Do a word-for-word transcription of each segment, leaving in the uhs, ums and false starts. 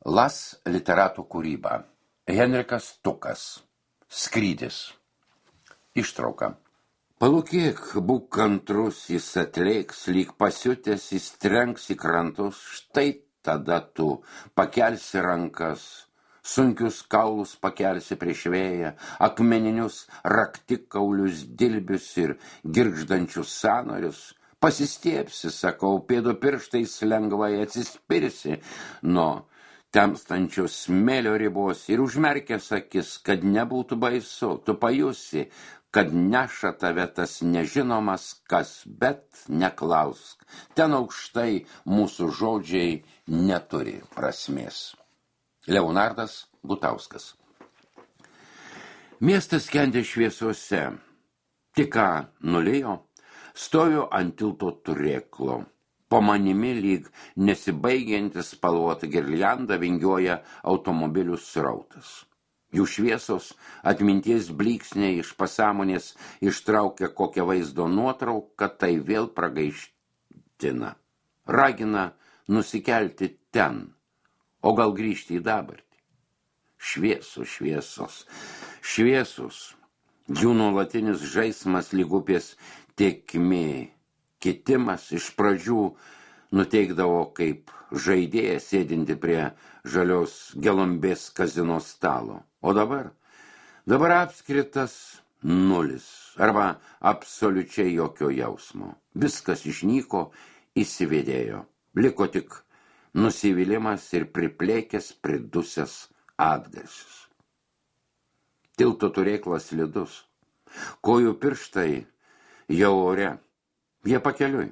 Las literatų kūryba. Henrikas Tukas. Skrydis. Ištrauka. Palūkėk, būk kantrus, jis atlėks, lyg pasiutęs, jis trenks į krantus, štai tada tu pakelsi rankas, sunkius kaulus pakelsi prieš vėją, akmeninius raktikaulius, dilbius ir girgždančius sąnarius, pasistiepsi, sakau, pėdų pirštais lengvai atsispirsi nuo temstančios smėlio ribos ir užmerkęs akis, kad nebūtų baisu, tu pajusi, kad neša tave tas nežinomas kas, bet neklausk. Ten aukštai mūsų žodžiai neturi prasmės. Leonardas Gutauskas. Miestas skendė šviesose. Tik ką nulijo, stoviu ant tilto turėklo. Po manimi lyg nesibaigiantis spalvota girlianda vingioja automobilių srautas. Jų šviesos atminties blyksniai iš pasąmonės ištraukia kokią vaizdo nuotrauką, tai vėl pragaiština. Ragina nusikelti ten, o gal grįžti į dabartį. Šviesos, šviesos, šviesos. Jų nuolatinis žaismas lyg upės tėkmė. Kitimas iš pradžių nuteikdavo kaip žaidėjas sėdinti prie žalios gelombės kazino stalo. O dabar, dabar apskritas nulis arba absoliučiai jokio jausmo. Viskas išnyko, įsivedėjo. Liko tik nusivylimas ir priplėkęs pridusęs atgarsis. Tilto turėklas slidus. Kojų pirštai jau ore. Jie pakeliui.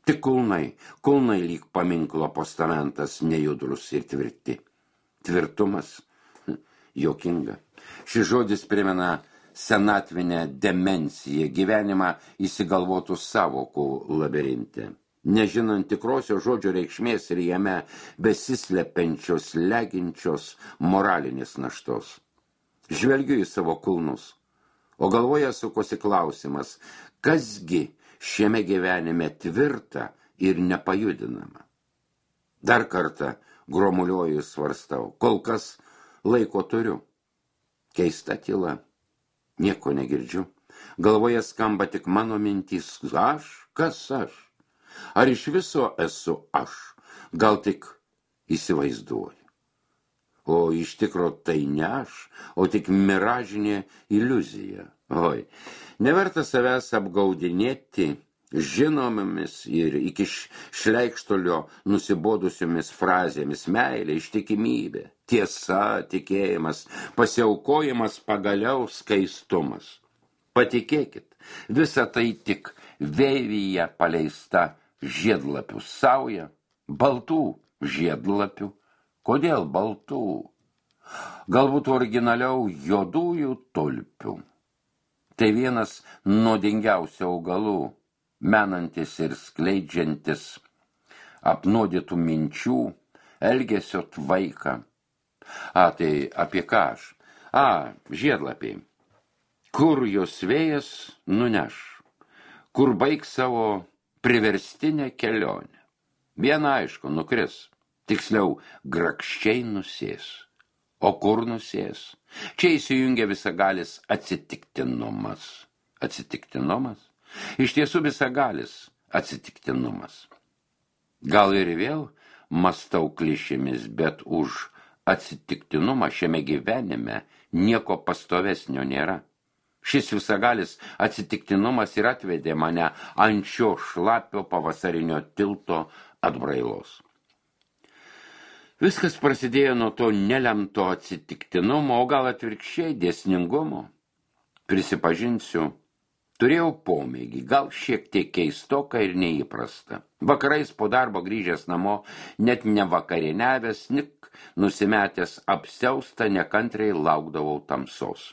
Tik kulnai, kulnai lyg paminklo postamentas nejudrus ir tvirti. Tvirtumas. Jokinga. Šis žodis primena senatvinę demenciją, gyvenimą įsigalvotų savokų labirinte. Nežinant tikrosios žodžio reikšmės ir jame besislepenčios, leginčios moralinės naštos. Žvelgiu į savo kulnus, o galvoje sukosi klausimas, kasgi šiame gyvenime tvirta ir nepajudinama. Dar kartą gromuliuoju svarstau, kol kas laiko turiu. Keista tyla, nieko negirdžiu. Galvoje skamba tik mano mintys, aš, kas aš? Ar iš viso esu aš? Gal tik įsivaizduoju. O iš tikro tai ne aš, o tik miražinė iliuzija. Oi, neverta savęs apgaudinėti žinomomis ir iki šleikštolio nusibodusiomis frazėmis: meilė, ištikimybė, tiesa, tikėjimas, pasiaukojimas, pagaliau skaistumas. Patikėkit, visa tai tik vėvyje paleista žiedlapių sauja, baltų žiedlapių. Kodėl baltų? Galbūt originaliau juodųjų tulpių. Tai vienas nuodingiausių augalų, menantis ir skleidžiantis apnuodytų minčių, elgesio tvaiką. A, tai apie ką aš? A, žiedlapiai. Kur jos vėjas nuneš? Kur baigs savo priverstinę kelionę? Viena aišku, nukris. Tiksliau, grakščiai nusės. O kur nusės? Čia įsijungia visagalis atsitiktinumas. Atsitiktinumas? Iš tiesų visagalis atsitiktinumas. Gal ir vėl mąstau klišėmis, bet už atsitiktinumą šiame gyvenime nieko pastovesnio nėra. Šis visagalis atsitiktinumas ir atvedė mane ant šio šlapio pavasarinio tilto atbrailos. Viskas prasidėjo nuo to nelemto atsitiktinumo, o gal atvirkščiai dėsningumo. Prisipažinsiu, turėjau pomėgį, gal šiek tiek keistoką ir neįprastą. Vakarais po darbo grįžęs namo, net nevakarieniavęs, nik nusimetęs apsiaustą, nekantriai laukdavau tamsos.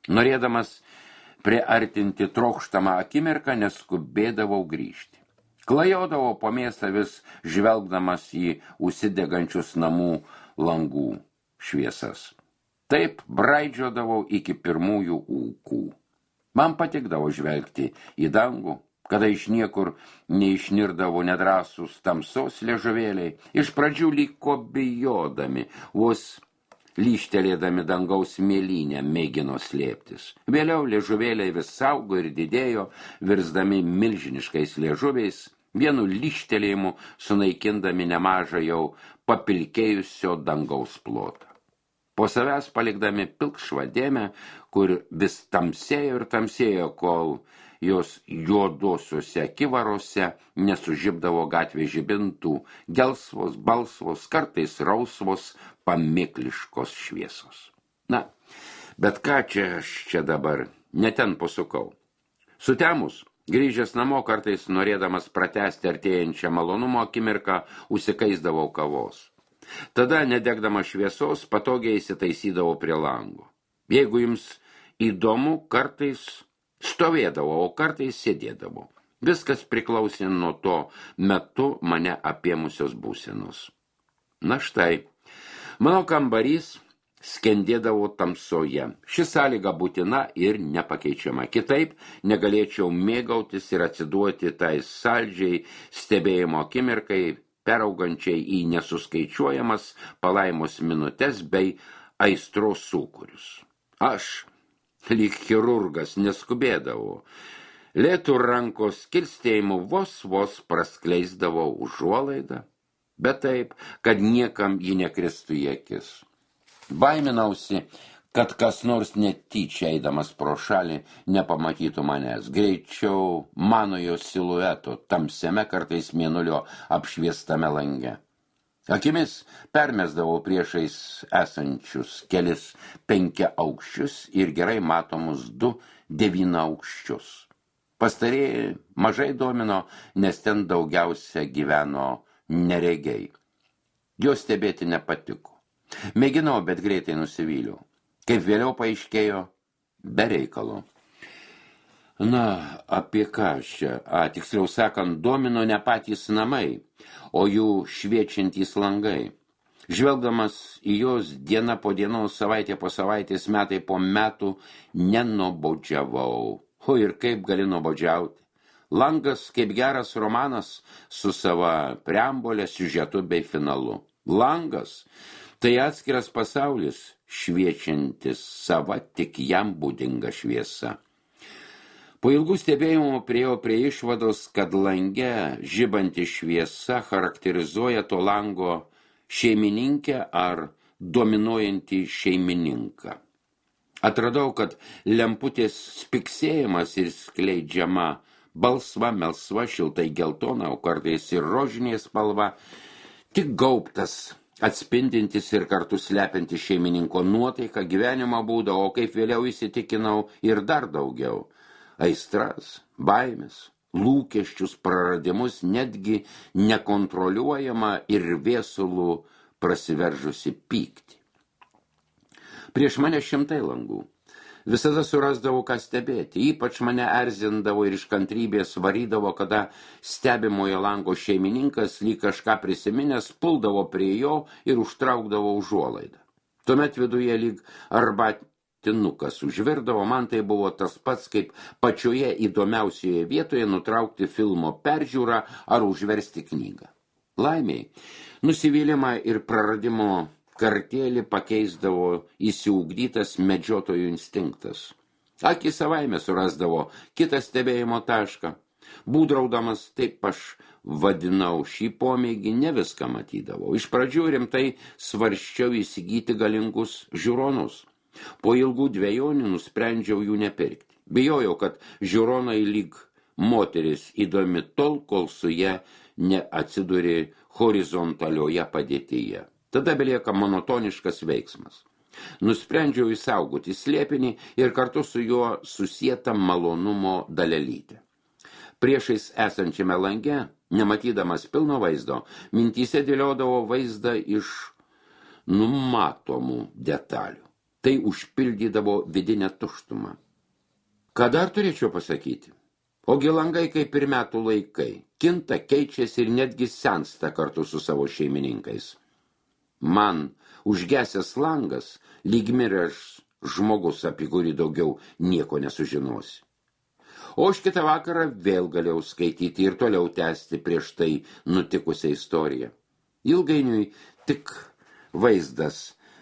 Norėdamas priartinti trokštamą akimirką, neskubėdavau grįžti. Klajodavau po miestą vis žvelgdamas į užsidegančius namų langų šviesas. Taip braidžiodavau iki pirmųjų ūkų. Man patikdavo žvelgti į dangų, kada iš niekur neišnirdavo nedrąsūs tamsos liežuvėliai, iš pradžių liko bijodami, vos lyštelėdami dangaus mėlynę mėgino slėptis. Vėliau liežuvėliai vis saugo ir didėjo, virsdami milžiniškais liežuviais, vienu lyštelėjimu sunaikindami nemažą jau papilkėjusio dangaus plotą. Po savęs palikdami pilkšvą dėmę, kur vis tamsėjo ir tamsėjo, kol jos juodosiuose akivarose nesužibdavo gatvės žibintų, gelsvos, balsvos, kartais rausvos, pamėkliškos šviesos. Na, bet ką čia aš čia dabar, ne ten pasukau. Sutemus, grįžęs namo kartais norėdamas pratęsti artėjančią malonumo akimirką, užsikaisdavau kavos. Tada, nedegdama šviesos, patogiai įsitaisydavau prie lango. Jeigu jums įdomu, kartais stovėdavo, o kartais sėdėdavo. Viskas priklausė nuo to metu mane apėmusios būsenos. Na štai, mano kambarys skendėdavo tamsoje. Ši sąlyga būtina ir nepakeičiama. Kitaip negalėčiau mėgautis ir atsiduoti tai saldžiai stebėjimo akimirkai, peraugančiai į nesuskaičiuojamas palaimos minutes bei aistros sūkurius. Aš, lyg chirurgas, neskubėdavau. Lėtų rankos kilstėjimu vos vos praskleisdavau užuolaidą, bet taip, kad niekam ji nekristų į akis. Baiminausi, kad kas nors netyčia eidamas pro šalį nepamatytų manęs. Greičiau manojo silueto tamsiame kartais mėnulio apšviestame lange. Akimis permesdavau priešais esančius kelis penkiaaukščius ir gerai matomus du devynaukščius. Pastarieji mažai domino, nes ten daugiausia gyveno neregiai. Jo stebėti nepatiko. Mėginau, bet greitai nusivyliau. Kaip vėliau paaiškėjo, be reikalo. Na, apie ką čia? A, tiksliau sakant, domino ne patys namai, o jų šviečiantys langai. Žvelgdamas į jos diena po dienos, savaitė po savaitės, metai po metų, nenuobodžiavau. O ir kaip gali nuobodžiauti? Langas kaip geras romanas su sava preambole, siužetu bei finalu. Langas tai atskiras pasaulis, šviečiantis sava tik jam būdinga šviesa. Po ilgų stebėjimų priėjau prie išvados, kad lange žibanti šviesa charakterizuoja to lango šeimininkę ar dominuojantį šeimininką. Atradau, kad lemputės spiksėjimas ir skleidžiama balsva, melsva, šiltai geltona, o kartais ir rožinė spalva, tik gaubtas, atspindintis ir kartu slepiantis šeimininko nuotaiką, gyvenimo būdą, o kaip vėliau įsitikinau ir dar daugiau. Aistras, baimės, lūkesčius, praradimus, netgi nekontroliuojama ir viesulų prasiveržusi pyktį. Prieš mane šimtai langų. Visada surasdavau, ką stebėti. Ypač mane erzindavo ir iš kantrybės varydavo, kada stebimojo lango šeimininkas, lyg kažką prisiminęs, puldavo prie jo ir užtraukdavo užuolaidą. Tuomet viduje lyg arbatinukas užvirdavo, man tai buvo tas pats, kaip pačioje įdomiausioje vietoje nutraukti filmo peržiūrą ar užversti knygą. Laimiai, nusivylimą ir praradimo kartėlį pakeisdavo įsiugdytas medžiotojų instinktas. Akį savaime surasdavo kitą stebėjimo tašką. Būdraudamas, taip aš vadinau šį pomėgį, ne viską matydavau. Iš pradžių rimtai svarsčiau įsigyti galingus žiūronus. Po ilgų dvejonių nusprendžiau jų nepirkti. Bijojau, kad žiūronai lyg moteris įdomi tol, kol su ja neatsiduri horizontalioje padėtyje. Tada belieka monotoniškas veiksmas. Nusprendžiau įsaugoti slėpinį ir kartu su juo susietą malonumo dalelytę. Priešais esančiame lange, nematydamas pilno vaizdo, mintyse dėliodavo vaizdą iš numatomų detalių. Tai užpildydavo vidinę tuštumą. Ką dar turėčiau pasakyti? Ogi langai kaip ir metų laikai, kinta, keičiasi ir netgi sensta kartu su savo šeimininkais. Man užgesęs langas, lyg miręs žmogus, apie kurį daugiau nieko nesužinosi. O už kitą vakarą vėl galėjau skaityti ir toliau tęsti prieš tai nutikusią istoriją. Ilgainiui tik vaizdas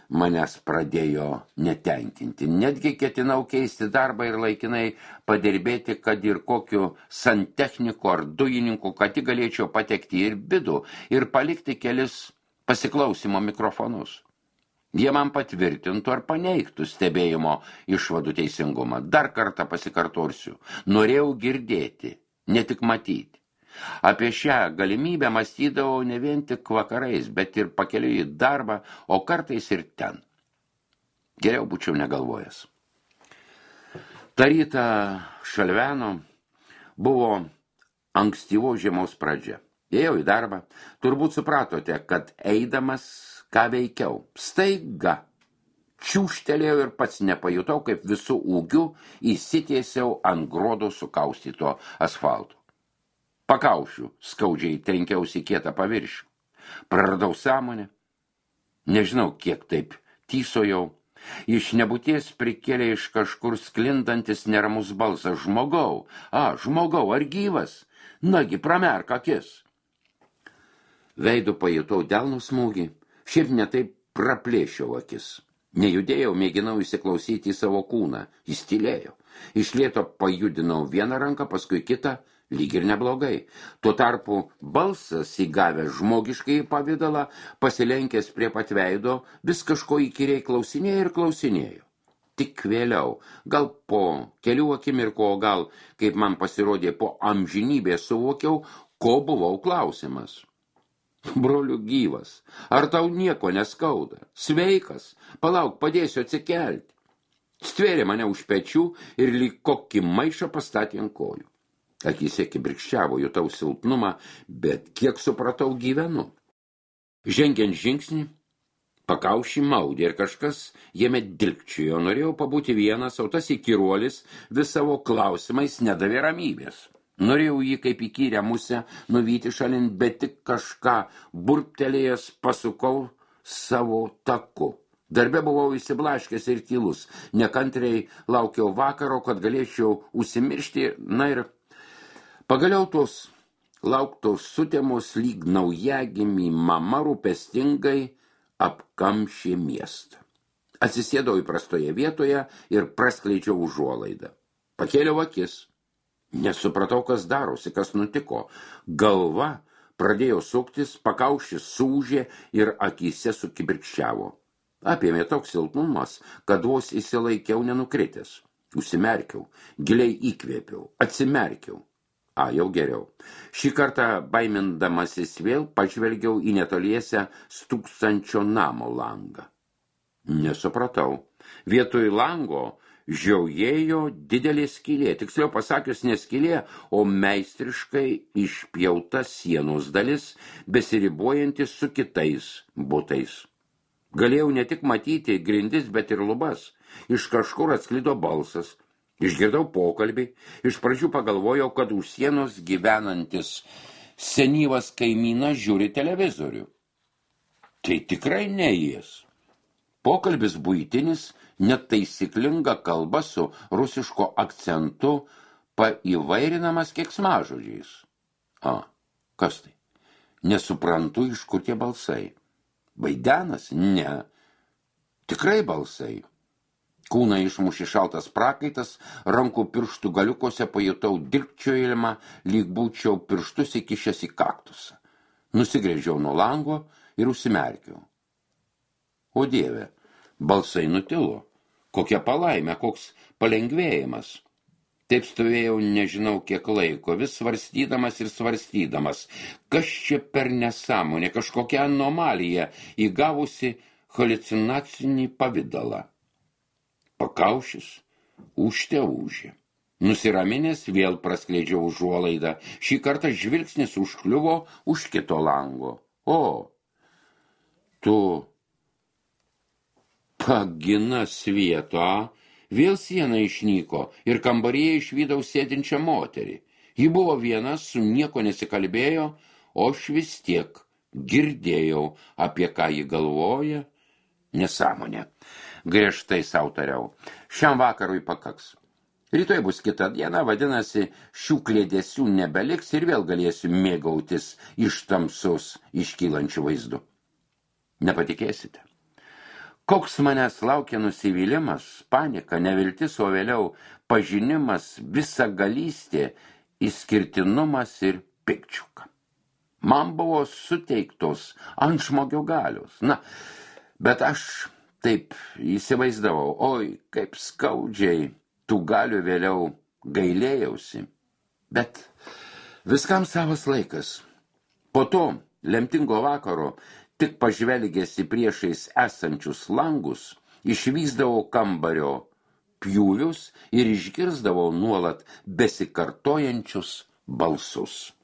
manęs pradėjo netenkinti. Netgi ketinau keisti darbą ir laikinai padirbėti, kad ir kokiu santechniku ar dujininku, kad tik galėčiau patekti ir vidų ir palikti kelis pasiklausimo mikrofonus. Jie man patvirtintų ar paneigtų stebėjimo išvadų teisingumą. Dar kartą pasikartosiu. Norėjau girdėti, ne tik matyti. Apie šią galimybę mąstydavau ne vien tik vakarais, bet ir pakeliui į darbą, o kartais ir ten. Geriau būčiau negalvojęs. Ta rytą šalveno buvo ankstyvo žiemos pradžia. Ėjau į darbą. Turbūt supratote, kad eidamas ką veikiau. Staiga čiūštelėjau ir pats nepajutau, kaip visų ūgių įsitiesiau ant grodo sukaustyto asfalto. Pakaušiu, skaudžiai trenkiausi kietą paviršių. Praradau sąmonę. Nežinau, kiek taip tysojau. Iš nebūties prikėlė iš kažkur sklindantis neramus balsas. Žmogau, a, žmogau, ar gyvas? Nagi, pramerk akis. Veidu pajutau delno smūgį. Šiaip netaip praplėšiau akis. Nejudėjau, mėginau įsiklausyti į savo kūną. Jis tylėjo. Iš lėto pajudinau vieną ranką, paskui kitą, lyg ir neblogai. Tuo tarpu balsas įgavęs žmogiškai pavidalą, pasilenkęs prie pat veido, vis kažko įkyriai klausinėjo ir klausinėjo. Tik vėliau, gal po kelių akimirkų, o gal, kaip man pasirodė, po amžinybės suvokiau, ko buvau klausimas. Broliu gyvas, ar tau nieko neskauda? Sveikas, palauk, padėsiu atsikelti. Stvėrė mane už pečių ir lyg kokį maišą pastatė ant kojų. Akyse kibirkščiavo, jutau silpnumą, bet kiek supratau gyvenu. Žengiant žingsnį, pakaušį maudė ir kažkas jame dilgčiojo. Norėjau pabūti vienas, o tas įkyruolis vis savo klausimais nedavė ramybės. Norėjau jį kaip įkyrę musę nuvyti šalin, bet tik kažką burptelėjęs pasukau savo taku. Darbe buvau įsiblaškęs ir tylus. Nekantriai laukiau vakaro, kad galėčiau užsimiršti. Na ir pagaliau tos lauktos sutemos lyg naujagimį mama rūpestingai apkamšė miestą. Atsisėdau įprastoje vietoje ir praskleidžiau užuolaidą. Pakėliau akis. Nesupratau, kas darosi, kas nutiko. Galva pradėjo suktis, pakaušis sūžė ir akyse sukibirkščiavo. Apėmė toks silpnumas, kad vos įsilaikiau nenukritęs. Užsimerkiau, giliai įkvėpiau, atsimerkiau. A, jau geriau. Šį kartą baimindamasis vėl pažvelgiau į netoliese stūksančio namo langą. Nesupratau. Vietoj lango žiaujėjo didelė skylė, tiksliau pasakius ne skylė, o meistriškai išpjauta sienos dalis, besiribojantis su kitais butais. Galėjau ne tik matyti grindis, bet ir lubas. Iš kažkur atsklido balsas. Išgirdau pokalbį. Iš pradžių pagalvojau, kad už sienos gyvenantis senyvas kaimynas žiūri televizorių. Tai tikrai ne jis. Pokalbis buitinis, net taisyklinga kalba su rusiško akcentu, paįvairinamas keiksmažodžiais. A, kas tai? Nesuprantu, iš kur tie balsai. Vaidenas? Ne. Tikrai balsai. Kūną išmušė šaltas prakaitas, rankų pirštų galiukose pajutau dilgčiojimą, lyg būčiau pirštus įkišęs į kaktusą. Nusigręžiau nuo lango ir užsimerkiau. O Dieve, balsai nutilo. Kokia palaimė, koks palengvėjimas. Taip stovėjau nežinau kiek laiko, vis svarstydamas ir svarstydamas. Kas čia per nesąmonė, kažkokia anomalija įgavusi haliucinacinį pavidalą. Pakaušis ūžte ūžė. Nusiraminęs vėl praskleidžiau užuolaidą. Šį kartą žvilgsnis užkliuvo už kito lango. O, tu pagina svieto, vėl siena išnyko ir kambaryje išvydau sėdinčią moterį. Ji buvo viena, su nieko nesikalbėjo, o aš vis tiek girdėjau, apie ką ji galvoja. Nesąmonė. Griežtai sau tariau. Šiam vakarui pakaks. Rytoj bus kita diena, vadinasi, šių klėdesių nebeliks ir vėl galėsiu mėgautis iš tamsos iškylančių vaizdų. Nepatikėsite. Koks manęs laukia nusivylimas, panika, neviltis, o vėliau pažinimas, visagalystė, išskirtinumas ir pikčiuka. Man buvo suteiktos antžmogio galios. Na, bet aš taip įsivaizdavau, oi, kaip skaudžiai tų galių vėliau gailėjausi. Bet viskam savas laikas. Po to lemtingo vakaro, tik pažvelgęs į priešais esančius langus, išvysdavau kambario pjūvius ir išgirsdavau nuolat besikartojančius balsus.